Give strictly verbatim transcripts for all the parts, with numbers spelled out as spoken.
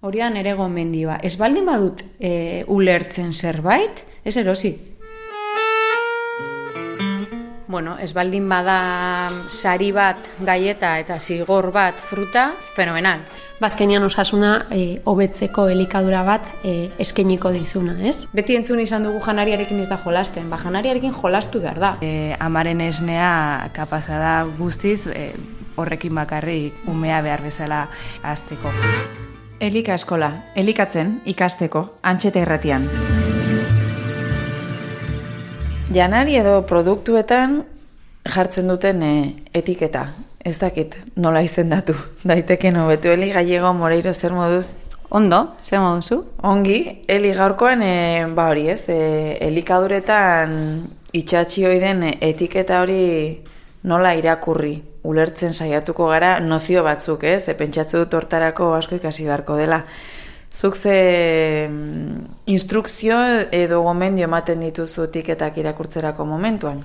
Hori da nere gomendioa. Ez baldin badut e, ulertzen zerbait, ez erosi. Bueno, ez baldin bada sari bat gaieta eta zigor bat fruta, fenomenal. Bazkenian osasuna e, hobetzeko elikadura bat e, eskainiko dizuna, ez? Beti entzun izan dugu janariarekin ez da jolasten, ba janariarekin jolastu behar da. E, amaren esnea kapaza da guztiz e, horrekin bakarrik umea behar bezala hazteko. Elika eskola, elikatzen ikasteko, Antxeta irratian. Janari edo produktuetan jartzen duten e, etiketa. Ez dakit, nola izendatu. Daiteken hobetu. Eli Gallego Moreiro, zer moduz? Ondo, zer moduzu? Ongi, Eli gaurkoan, e, ba hori ez, e, elikaduretan itxatxi hoi den etiketa hori nola irakurri. Ulertzen saiatuko gara nozio batzuk, ez? E, pentsatze dut hortarako asko ikasi beharko dela. Zuk ze instrukzio edo gomendio ematen dituzu etiketak irakurtzerako momentuan?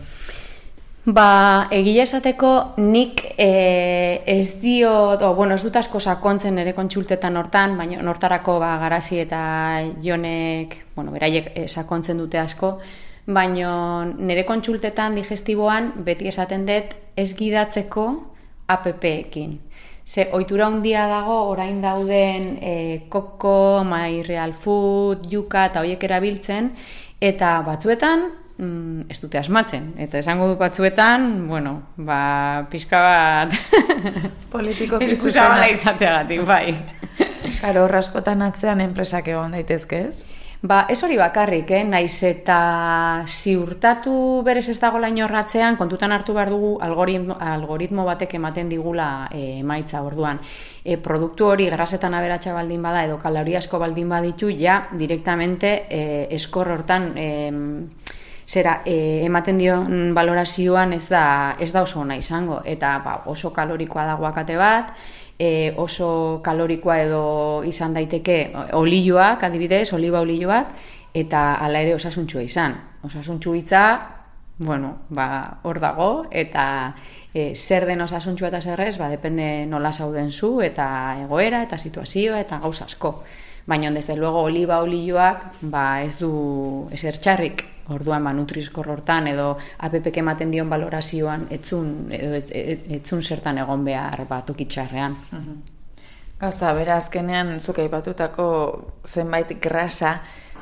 Ba, egia esateko nik e, ez dio, o, bueno, ez dut asko sakontzen ere kontsultetan hortan, baina nortarako ba, Garazi eta Jonek, bueno, beraiek e, sakontzen dute asko, baina nire kontsultetan digestiboan beti esaten dut ez gidatzeko appekin. Ze ohitura handia dago orain dauden e, koko, My Real Food, Yuka eta horiek erabiltzen, eta batzuetan mm, ez dute asmatzen. Eta esango du batzuetan, bueno, ba, pixka bat politiko eskusabala izateagatik, bai. Karo, horraskotan atzean enpresak egon daitezke, ez? Ba, ez hori bakarrik, eh? Naiz eta ziurtatu berez ez dago laino horratzean, kontutan hartu behar dugu algoritmo, algoritmo batek ematen digula e, emaitza orduan. E, produktu hori grasetan aberatsa baldin bada edo kaloriasko baldin baditu, ja direktamente e, eskor hortan e, zera, e, ematen dion valorazioan ez da, ez da oso ona izango. Eta ba, oso kalorikoa da aguakate bat, E, oso kalorikoa edo izan daiteke olioak, adibidez, oliba olioak, eta hala ere osasuntxua izan. Osasuntxu hitza, bueno, ba, hor dago, eta e, zer den osasuntxua eta zerrez, ba, depende nola zauden zu, eta egoera, eta situazioa, eta gauza asko. Baina, desde luego, oliba olioak, ba, ez du ezer txarrik. Orduan, ba, nutrizkor hortan edo apepek ematen dion valorazioan etzun, edo et, et, etzun zertan egon behar bat okitxarrean. Gauza, bera azkenean zuk aipatutako zenbait grasa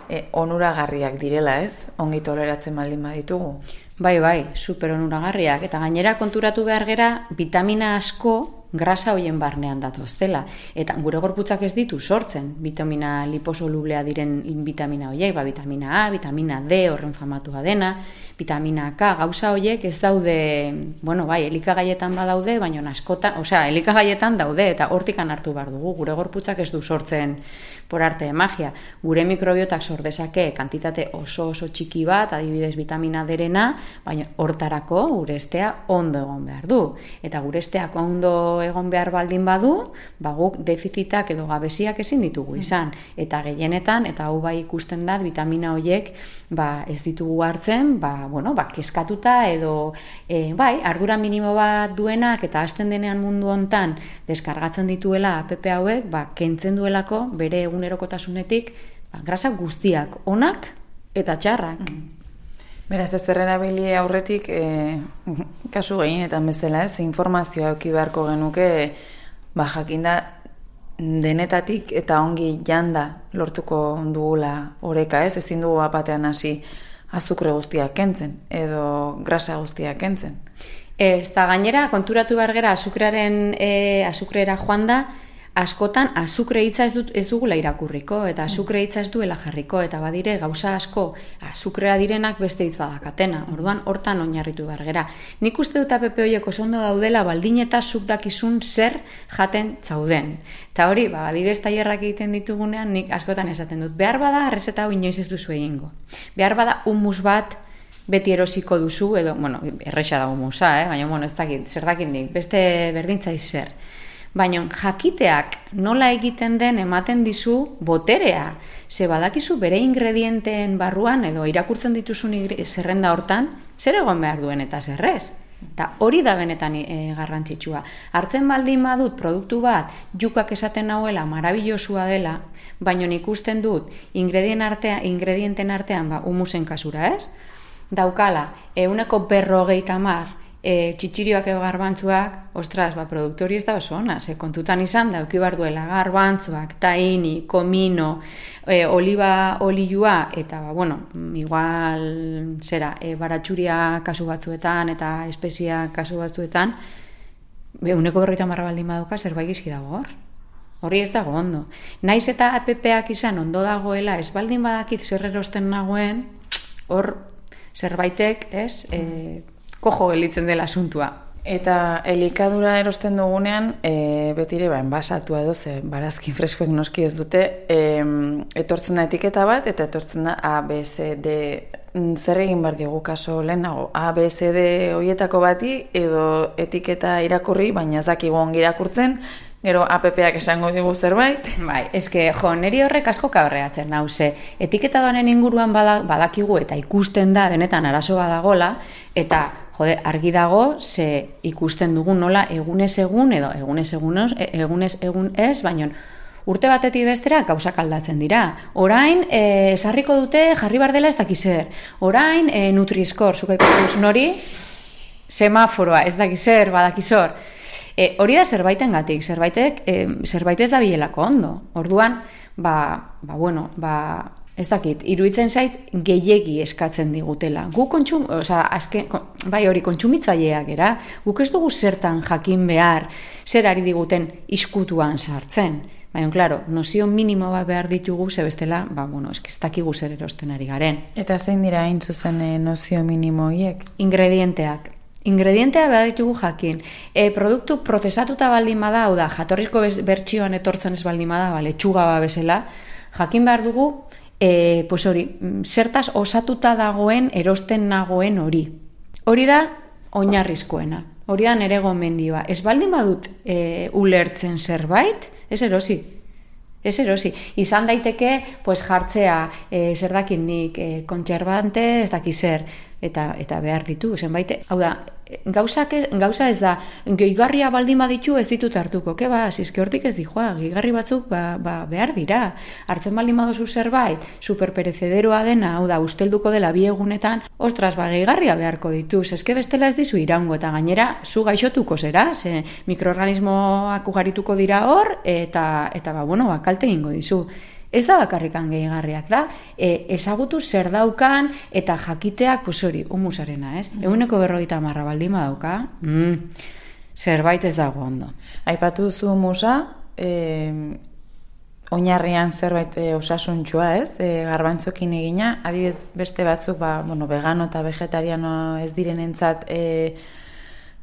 e, onuragarriak direla, ez? Ongi toleratzen baldin baditugu. Bai, bai, super onuragarriak. Eta gainera konturatu behar gera, vitamina asko grasa hoien barnean datoztela. Eta gure gorputzak ez ditu sortzen vitamina liposolublea diren vitamina hoiek, ba, vitamina A, vitamina D, horren famatua dena, vitamina K, gauza hoiek ez daude, bueno, bai, elikagaietan badaude, baina askotan, osea, elikagaietan daude, eta hortikan hartu behar dugu, gure gorputzak ez du sortzen por arte de magia. Gure mikrobiotak sor dezake kantitate oso oso txiki bat, adibidez vitamina D-rena, baina hortarako gure estea ondo egon behar du. Eta gure esteak ondo egon behar baldin badu, ba guk defizitak edo gabeziak ezin ditugu izan. Eta gehienetan, eta hau bai ikusten da, vitamina horiek ba, ez ditugu hartzen, ba, bueno, ba, keskatuta edo e, bai, ardura minimo bat duenak eta hasten denean mundu hontan deskargatzen dituela app hauek, ba, kentzen duelako bere egunerokotasunetik ba, grasa guztiak, onak eta txarrak. Mm. Beraz, ez erabili aurretik, e, kasu gehienetan bezala, ez, informazioa eduki beharko genuke, ba, jakinda denetatik eta ongi janda lortuko dugula oreka, ez, ezin dugu batean hasi azukre guztiak kentzen, edo grasa guztiak kentzen. Ez da gainera, konturatu behar gera azukrearen, e, azukrera joan da, askotan azukre hitza ez, dut, ez dugula irakurriko, eta azukre hitza ez duela jarriko, eta badire gauza asko azukrea direnak beste hitz badakatena. Orduan, hortan oinarritu behar gera. Nik uste dut app horiek oso ondo daudela baldin eta zuk dakizun zer jaten txauden. Eta hori, ba, adibidez tailerrak egiten ditugunean, nik askotan esaten dut. Behar bada, errezeta hau inoiz ez duzu egingo. Behar bada, humus bat beti erosiko duzu, edo, bueno, erresa da humusa, eh? Baina, bueno, ez dakit, zer dakindik, beste berdintzai zer. Baina jakiteak nola egiten den ematen dizu boterea. Ze badakizu bere ingredienteen barruan edo irakurtzen dituzun zerrenda hortan, zer egon behar duen eta zerrez. Eta hori da benetan e, garrantzitsua. Hartzen baldin badut produktu bat, jukak esaten nauela, marabilosua dela, baina ikusten dut ingredien artean, ingredienten artean, ba, humusen kasura, ez? Daukala, euneko berrogeita hamar e, txitxirioak edo garbantzuak, ostras, ba, produktu hori ez da oso ona, ze kontutan izan da, euki behar duela garbantzuak, tahini, komino, e, oliba olioa, eta, ba, bueno, igual, zera, e, baratxuria kasu batzuetan, eta espezia kasu batzuetan, euneko berrogeita hamar baldin baduka, zerbait gizki dago hor. Hori ez dago ondo. Naiz eta app-ak izan ondo dagoela, ez baldin badakit zer erosten nagoen, hor zerbaitek, ez, e, kojo gelitzen dela asuntua. Eta elikadura erosten dugunean, e, betire ba, enbasatua edo, ze barazki freskoek noski ez dute, e, etortzen da etiketa bat, eta etortzen da A, B, C, D, zer egin behar diogu kaso lehenago, A, B, C, D horietako bati, edo etiketa irakurri, baina ez dakigu ongi irakurtzen, gero app-ak esango digu zerbait. Bai, eske, jo, neri horrek asko kabreatzen nauze. Etiketa doanen inguruan badakigu eta ikusten da, benetan arazo badagola, eta, jode, argi dago, ze ikusten dugu nola egunez egun, edo egunez egun, egunez egun ez, baina urte batetik bestera gauzak aldatzen dira. Orain, e, esarriko dute jarri bar dela ez dakizer. Orain, e, Nutri-Score, zuk aipatu duzun hori, semaforoa, ez dakizer, badakizor. E, hori da zerbaiten gatik, zerbaitek, e, zerbait ez da bilelako ondo. Orduan, ba, ba, bueno, ba, ez dakit, iruditzen zait gehiegi eskatzen digutela. Gu kontsum, oza, azken, bai hori kontsumitzaileak era, guk ez dugu zertan jakin behar, zer ari diguten iskutuan sartzen. Baina, klaro, nozio minimo bat behar ditugu, ze bestela, ba, bueno, ez ez dakigu zer erosten ari garen. Eta zein dira hain zuzen e, nozio minimo hiek? Ingredienteak. Ingredientea behar ditugu jakin. E, produktu prozesatuta baldin bada, hau da, jatorrizko bertsioan etortzen ez baldin bada, ba, letxuga ba bezala, jakin behar dugu, e, pues hori, zertaz osatuta dagoen, erosten nagoen hori. Hori da, oinarrizkoena. Hori da nere gomendioa. Ez baldin badut e, ulertzen zerbait, ez erosi. Ez erosi. Izan daiteke, pues jartzea, e, zer dakit nik, e, kontserbante, ez daki zer, eta eta behar ditu, zenbait, hau da, gauzak ez, gauza ez da, gehigarria baldin baditu ez ditut hartuko, ke ba, zizke hortik ez dijoa, gehigarri batzuk ba, ba, behar dira, hartzen baldin baduzu zerbait, superperezederoa dena, hau da, ustelduko dela bi egunetan, ostras, ba, gehigarria beharko ditu, zezke bestela ez dizu iraungo, eta gainera, zu gaixotuko zera, ze mikroorganismoak ugarituko dira hor, eta, eta ba, bueno, ba, kalte egingo dizu. Ez da bakarrikan gehigarriak da, e, ezagutu zer daukan eta jakiteak, pues hori, humusarena, ez? Mm. Eguneko berrogeita hamarra baldin badauka, mm, zerbait ez dago ondo. Aipatu duzu humusa, e, oinarrian zerbait e, osasuntxua, ez? E, garbantzokin egina, adibidez beste batzuk, ba, bueno, vegano eta vegetariano ez direnentzat, e,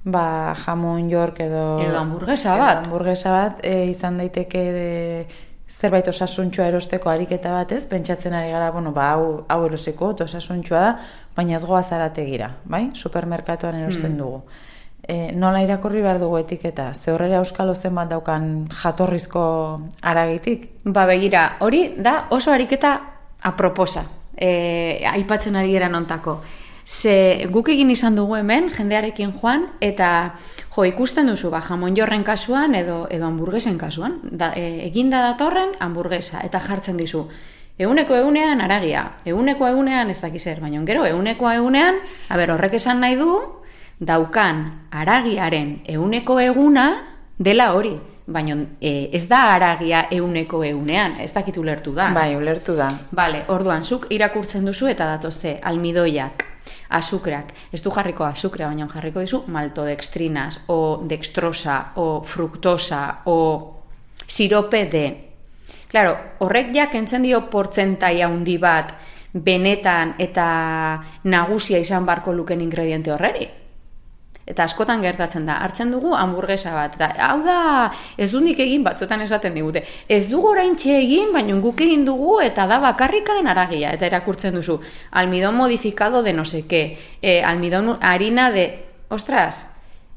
ba, jamon york edo... Edo hamburguesa bat. Edo hamburguesa bat, e, izan daiteke... De, zerbait osasuntxua erosteko ariketa batez, pentsatzen ari gara, bueno, ba, hau, hau eroseko, osasuntxua da, baina ez goa zarategira, bai? Supermerkatuan erosten mm. dugu. E, nola irakurri behar dugu etiketa? Ze horrela euskalo zenbat daukan jatorrizko aragitik? Ba, begira, hori da oso ariketa aproposa, e, aipatzen ari gara nontako. Ze guk egin izan dugu hemen, jendearekin joan, eta jo, ikusten duzu, ba, jamon jorren kasuan edo, edo hamburguesen kasuan. Da, e, eginda datorren hamburguesa, eta jartzen dizu. Euneko egunean aragia, euneko egunean ez dakizer, baina gero euneko egunean, a ber, horrek esan nahi du, daukan aragiaren euneko eguna dela hori. Baina e, ez da aragia euneko egunean, ez dakit ulertu da. Bai, ulertu da. Bale, orduan, zuk irakurtzen duzu eta datozte almidoiak, azukreak, ez du jarriko azukrea, baina jarriko dizu maltodextrinas, o dextrosa, o fruktosa, o sirope de. Claro, horrek ja kentzen dio portzentai handi bat benetan eta nagusia izan barko luken ingrediente horreri. Eta askotan gertatzen da, hartzen dugu hamburguesa bat, eta hau da, ez du nik egin, batzuetan esaten digute, ez dugu oraintxe egin, baina guk egin dugu, eta da bakarrikaen aragia, eta erakurtzen duzu, almidon modificado de no sé qué, eh, almidon harina de, ostras,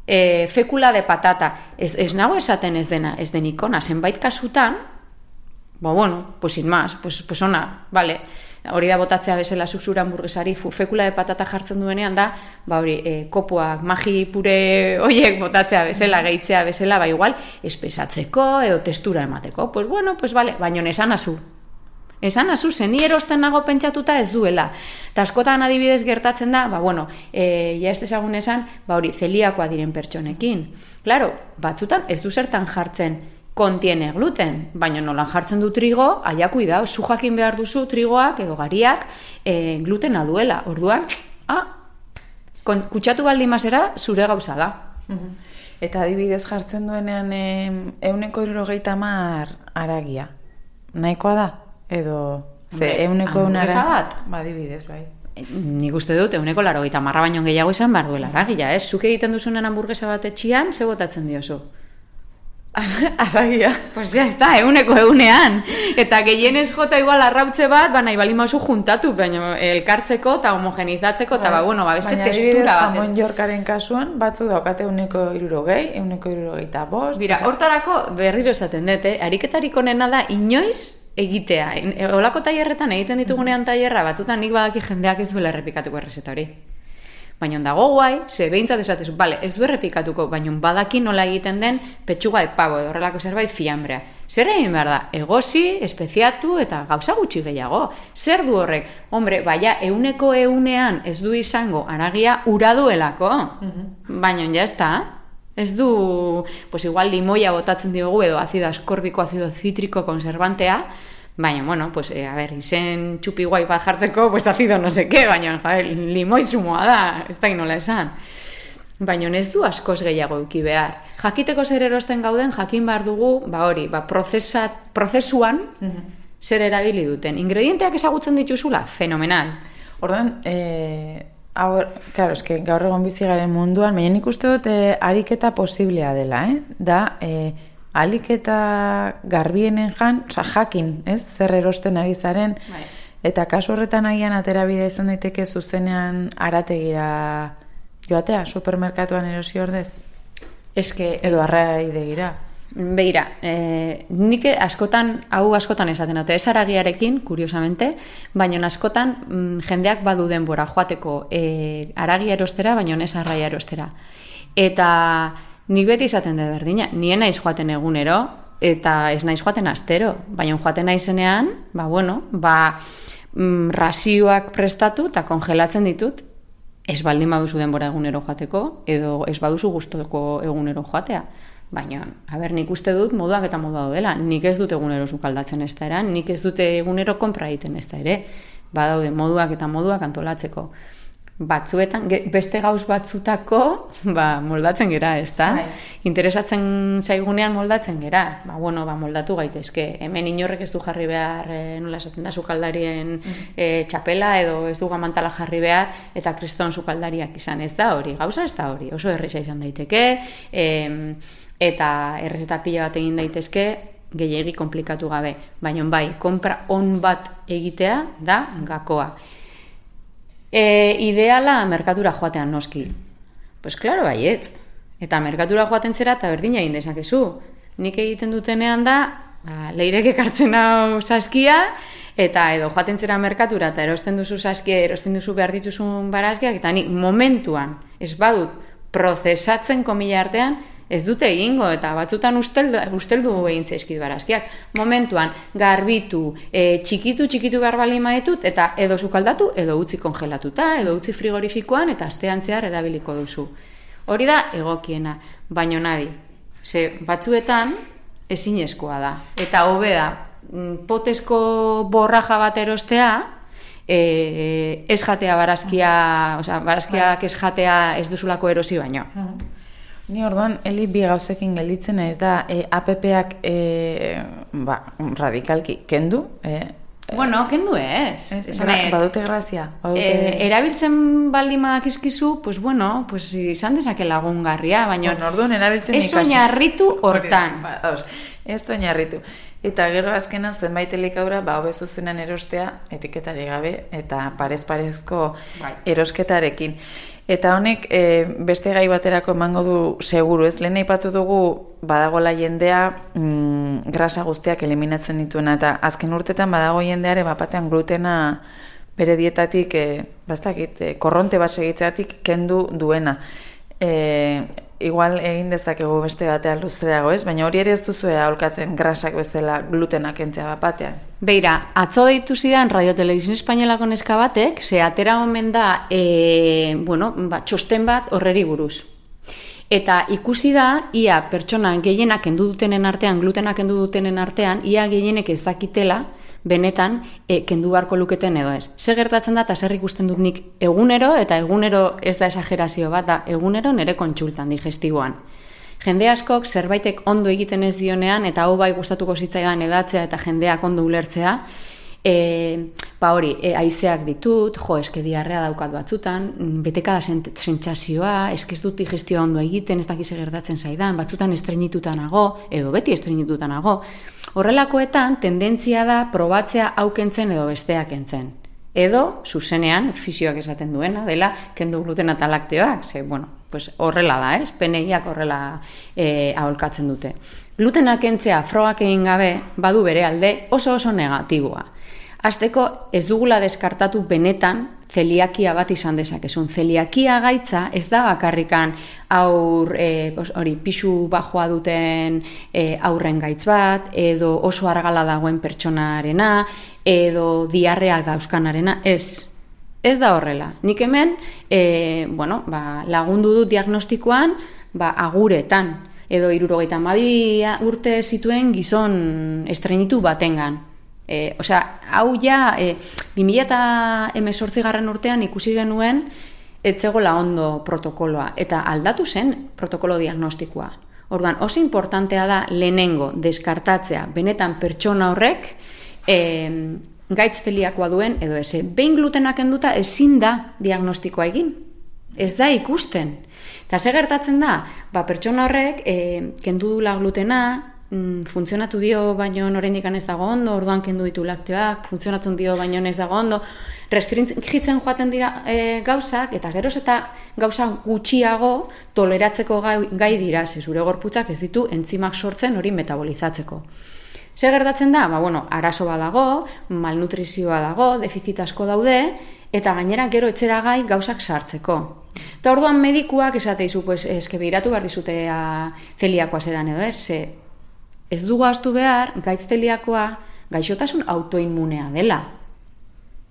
eh, fekula de patata, ez, ez nago esaten ez dena, ez denikona, zenbait kasutan, ba bueno, pues sin más, pues, pues ona, vale. Hori da botatzea bezala zuzura hamburguesari fekula de patata jartzen duenean da, ba hori, e, kopuak, magi pure hoiek botatzea bezala, gehitzea bezala, ba igual, espesatzeko edo testura emateko. Pues bueno, pues vale, baino esan azu. Esan azu, zeni erosten nago pentsatuta ez duela. Ta askotan adibidez gertatzen da, ba bueno, e, ja ez dezagun esan, ba hori, zeliakoa diren pertsonekin. Claro, batzutan ez du zertan jartzen kontiene gluten, baina nolan jartzen du trigo, aia kuidao, zu jakin behar duzu trigoak edo gariak e, glutena duela. Orduan, ah, kutsatu baldin mazera zure gauza da. Uh-huh. Eta adibidez jartzen duenean euneko hirurogeita hamar haragia. Nahikoa da? Edo, ze, euneko unara... bat? Ba, adibidez, bai. Nik uste dut, euneko laurogeita hamarra baino gehiago izan behar duela haragia, ez? Zuk egiten duzunen hamburguesa bat etxian, ze botatzen diozu? Aragia. Pues ya está, euneko eunean. Eta gehienez jota igual arrautze bat, ba nahi bali mauzu juntatu, baina elkartzeko eta homogenizatzeko, eta ba, bueno, ba, beste baina testura bat. Baina jamon jorkaren kasuan, batzu daukate euneko hirurogei, euneko hirurogeita bost. Bira, hortarako berriro esaten dut, eh? Ariketarik onena da inoiz egitea. Olako tailerretan egiten ditugunean tailerra, batzutan nik badaki jendeak ez duela errepikatuko errezeta hori. Baina dago guai, ze behintzat esatezu, bale, ez du errepikatuko, baina badaki nola egiten den petxuga de pavo, edo horrelako zerbait fiambrea. Zer egin behar da? Egosi, espeziatu eta gauza gutxi gehiago. Zer du horrek? Hombre, baina euneko eunean ez du izango haragia ura duelako. Uh-huh. Baina ja ez da. Ez du, pues igual limoia botatzen diogu edo azido askorbiko, azido zitriko, konservantea, baina, bueno, pues, eh, a ver, izen txupi guai bat jartzeko, pues azido no seke, baina, ja, limoi zumoa da, ez da inola esan. Baina ez du askoz gehiago euki behar. Jakiteko zer erosten gauden, jakin behar dugu, ba hori, ba prozesa, prozesuan zer erabili duten. Ingredienteak ezagutzen dituzula, fenomenal. Ordan, eh, hau, claro, eske gaur egon bizi garen munduan, baina nik uste dut eh, ariketa posiblea dela, eh? Da, eh, aliketa garbienen jan, oza, jakin, ez? Zer erosten ari zaren, bai. Eta kasu horretan agian aterabidea izan daiteke zuzenean arategira joatea, supermerkatuan erosi ordez? Eske, edo arraidegira. Begira, eh, nik askotan, hau askotan esaten dute, ez aragiarekin, kuriosamente, baina askotan mm, jendeak badu denbora joateko eh, aragia erostera, baina ez arraia erostera. Eta nik beti izaten da berdina, nien naiz joaten egunero, eta ez naiz joaten astero, baina joaten naizenean, ba bueno, ba mm, razioak prestatu eta kongelatzen ditut, ez baldin baduzu denbora egunero joateko, edo ez baduzu gustoko egunero joatea. Baina, a ber, nik uste dut moduak eta modua dela, nik ez dut egunero sukaldatzen ez da eran, nik ez dute egunero konpra egiten ez da ere, badaude moduak eta moduak antolatzeko. Batzuetan, beste gauz batzutako, ba, moldatzen gera, ez da? Interesatzen zaigunean moldatzen gera. Ba, bueno, ba, moldatu gaitezke. Hemen inorrek ez du jarri behar, e, nola esaten da, sukaldarien e, txapela, edo ez du gamantala jarri behar, eta kriston sukaldariak izan ez da hori. Gauza ez da hori, oso erresa izan daiteke, e, eta errezeta pila bat egin daitezke, gehiegi komplikatu gabe. Baina bai, konpra on bat egitea da gakoa. E, ideala merkatura joatean noski. Pues claro, baietz. Eta merkatura joaten zera eta berdina egin dezakezu. Nik egiten dutenean da, ba, leirek ekartzen hau saskia, eta edo joaten zera merkatura eta erosten duzu saskia, erosten duzu behar dituzun barazkiak, eta ni momentuan ez badut prozesatzen komila artean, ez dute egingo, eta batzutan usteldu, usteldu egin zaizkit barazkiak. Momentuan, garbitu, e, txikitu, txikitu behar bali maetut, eta edo sukaldatu, edo utzi kongelatuta, edo utzi frigorifikoan, eta astean zehar erabiliko duzu. Hori da egokiena, baino nadi. Ze batzuetan ezinezkoa da. Eta hobe da, potezko borraja bat erostea, e, ez jatea barazkia, oza, barazkiak ez jatea ez duzulako erosi baino. Ni orduan, Eli, bi gauzekin gelditzen ez da, e, appak e, ba, radikalki kendu? E, bueno, kendu ez. ez gra, badute grazia. Badute... E, erabiltzen baldin badakizkizu, pues bueno, pues izan dezake lagungarria, baina bueno, orduan, erabiltzen ez oinarritu hortan. Ba, ez oinarritu. Eta gero azkenan zenbait elikadura, ba, hobe zuzenan erostea, etiketari gabe, eta parez-parezko bai. erosketarekin. Eta honek e, beste gai baterako emango du seguru, ez? Lehen aipatu dugu badagola jendea mm, grasa guztiak eliminatzen dituena, eta azken urtetan badago jendeare bapatean glutena bere dietatik, e, bastakit, e, korronte bat segitzeatik kendu duena. E, igual egin dezakegu beste batean luzerago, ez? Baina hori ere ez duzu aholkatzen grasak bezala glutena kentzea bapatean. Beira, atzo deitu zidan Radio Televisión Espainolako neska batek, ze atera omen da, e, bueno, ba, txosten bat horreri buruz. Eta ikusi da, ia pertsona gehienak kendu dutenen artean, glutena kendu dutenen artean, ia gehienek ez dakitela, benetan e, kendu beharko luketen edo ez. Ze gertatzen da, eta zer ikusten dut nik egunero, eta egunero ez da esagerazio bat, da egunero nire kontsultan digestiboan. Jende askok zerbaitek ondo egiten ez dionean, eta hau bai gustatuko zitzaidan edatzea eta jendeak ondo ulertzea, e, ba hori, e, haizeak ditut, jo, eske diarrea daukat batzutan, betekada sentsazioa, eske ez dut digestioa ondo egiten, ez dakize gertatzen zaidan, batzutan estreñituta nago, edo beti estreñituta nago. Horrelakoetan, tendentzia da probatzea hau kentzen edo besteak kentzen. Edo, zuzenean, fisioak esaten duena, dela, kendu glutena eta lakteoak, ze, bueno, pues horrela da, ez? Peneiak horrela e, aholkatzen dute. Glutena kentzea frogak egin gabe, badu bere alde oso oso negatiboa. Hasteko ez dugula deskartatu benetan zeliakia bat izan dezakezun. Zeliakia gaitza ez da bakarrikan aur, e, hori, pixu bajoa duten e, aurren gaitz bat, edo oso argala dagoen pertsonarena, edo diarreak dauzkanarena, ez. Ez da horrela. Nik hemen, e, bueno, ba, lagundu dut diagnostikoan, ba, aguretan, edo hirurogeita hamabi urte zituen gizon estreinitu batengan. E, osea, hau ja, e, bi mila hemezortzi garren urtean ikusi genuen etzegola ondo protokoloa, eta aldatu zen protokolo diagnostikoa. Orduan, oso importantea da lehenengo deskartatzea benetan pertsona horrek e, gaitz zeliakoa duen edo ez. Behin glutena kenduta ezin da diagnostikoa egin. Ez da ikusten. Eta ze gertatzen da, ba, pertsona horrek e, kendu dula glutena, funtzionatu dio baino oraindik ez dago ondo, orduan kendu ditu lakteoak, funtzionatzen dio baino ez dago ondo, restringitzen joaten dira e, gauzak, eta geroz eta gauza gutxiago toleratzeko gai, gai dira, ze zure gorputzak ez ditu entzimak sortzen hori metabolizatzeko. Zer gertatzen da? Ba, bueno, arazo bat dago, malnutrizioa dago, defizit asko daude, eta gainera gero etzera gai gauzak sartzeko. Eta orduan medikuak esateizu, pues, eske behiratu behar dizutea zeliakoa zeran edo ez, ze, ez dugu ahaztu behar, gaitz zeliakoa gaixotasun autoinmunea dela.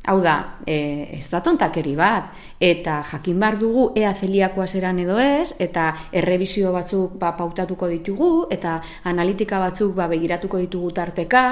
Hau da, e, ez da tontakeri bat, eta jakin behar dugu ea zeliakoa zeran edo ez, eta errebizio batzuk ba, pautatuko ditugu, eta analitika batzuk ba, begiratuko ditugu tarteka,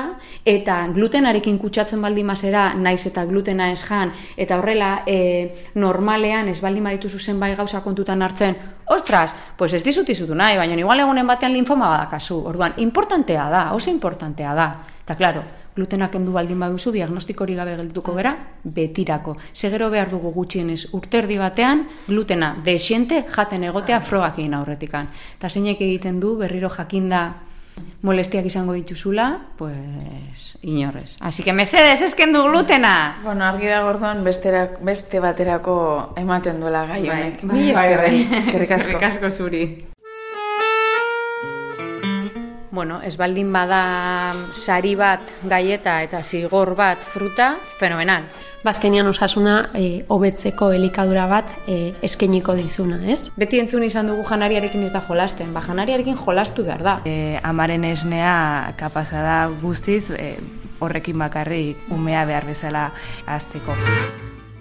eta glutenarekin kutsatzen baldin mazera, naiz eta glutena ez jan, eta horrela e, normalean ez baldin badituzu zenbait gauza kontutan hartzen, ostras, pues ez dizut izutu nahi, baina igual egunen batean linfoma badakazu. Orduan, importantea da, oso importantea da. Eta, klaro, glutenak kendu baldin baduzu, diagnostikori gabe geldituko gera, betirako. Segero behar dugu gutxienez urterdi batean, glutena desiente jaten egotea frogak egin aurretikan. Eta zeinek egiten du, berriro jakinda molestiak izango dituzula, pues, inorrez. Así que mesedez, ez kendu glutena! Bueno, argi da gordoan besterak, beste baterako ematen duela gai honek. Bai, bai, bai, eskerrik asko. Eskerrik asko zuri. Bueno, ez baldin bada sari bat gaieta eta zigor bat fruta, fenomenal. Bazkenian osasuna e, hobetzeko elikadura bat e, eskainiko dizuna, ez? Beti entzun izan dugu janariarekin ez da jolasten, ba janariarekin jolastu behar da. E, amaren esnea kapaza da guztiz, e, horrekin bakarrik umea behar bezala hazteko.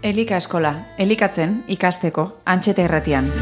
Elika eskola, elikatzen ikasteko Antxeta Irratian.